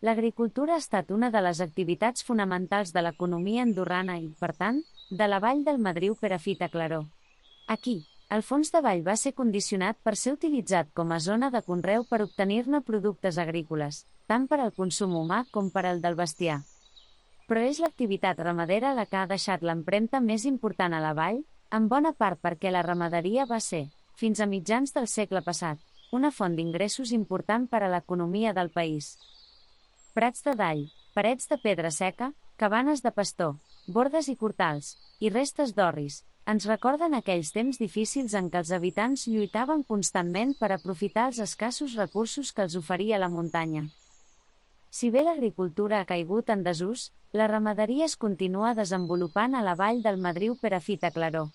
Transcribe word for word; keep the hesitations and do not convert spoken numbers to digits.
L'agricultura ha estat una de les activitats fonamentals de l'economia andorrana i, per tant, de la vall del Madriu Perafita Claró. Aquí, el fons de vall va ser condicionat per ser utilitzat com a zona de conreu per obtenir-ne productes agrícoles, tant per al consum humà com per al del bestiar. Però és l'activitat ramadera la que ha deixat l'empremta més important a la vall, en bona part perquè la ramaderia va ser, fins a mitjans del segle passat, una font d'ingressos important per a l'economia del país. Prats de dall, parets de pedra seca, cabanes de pastor, bordes i cortals, i restes d'orris, ens recorden aquells temps difícils en què els habitants lluitaven constantment per aprofitar els escassos recursos que els oferia la muntanya. Si bé l'agricultura ha caigut en desús, la ramaderia es continua desenvolupant a la vall del Madriu Perafita Claró.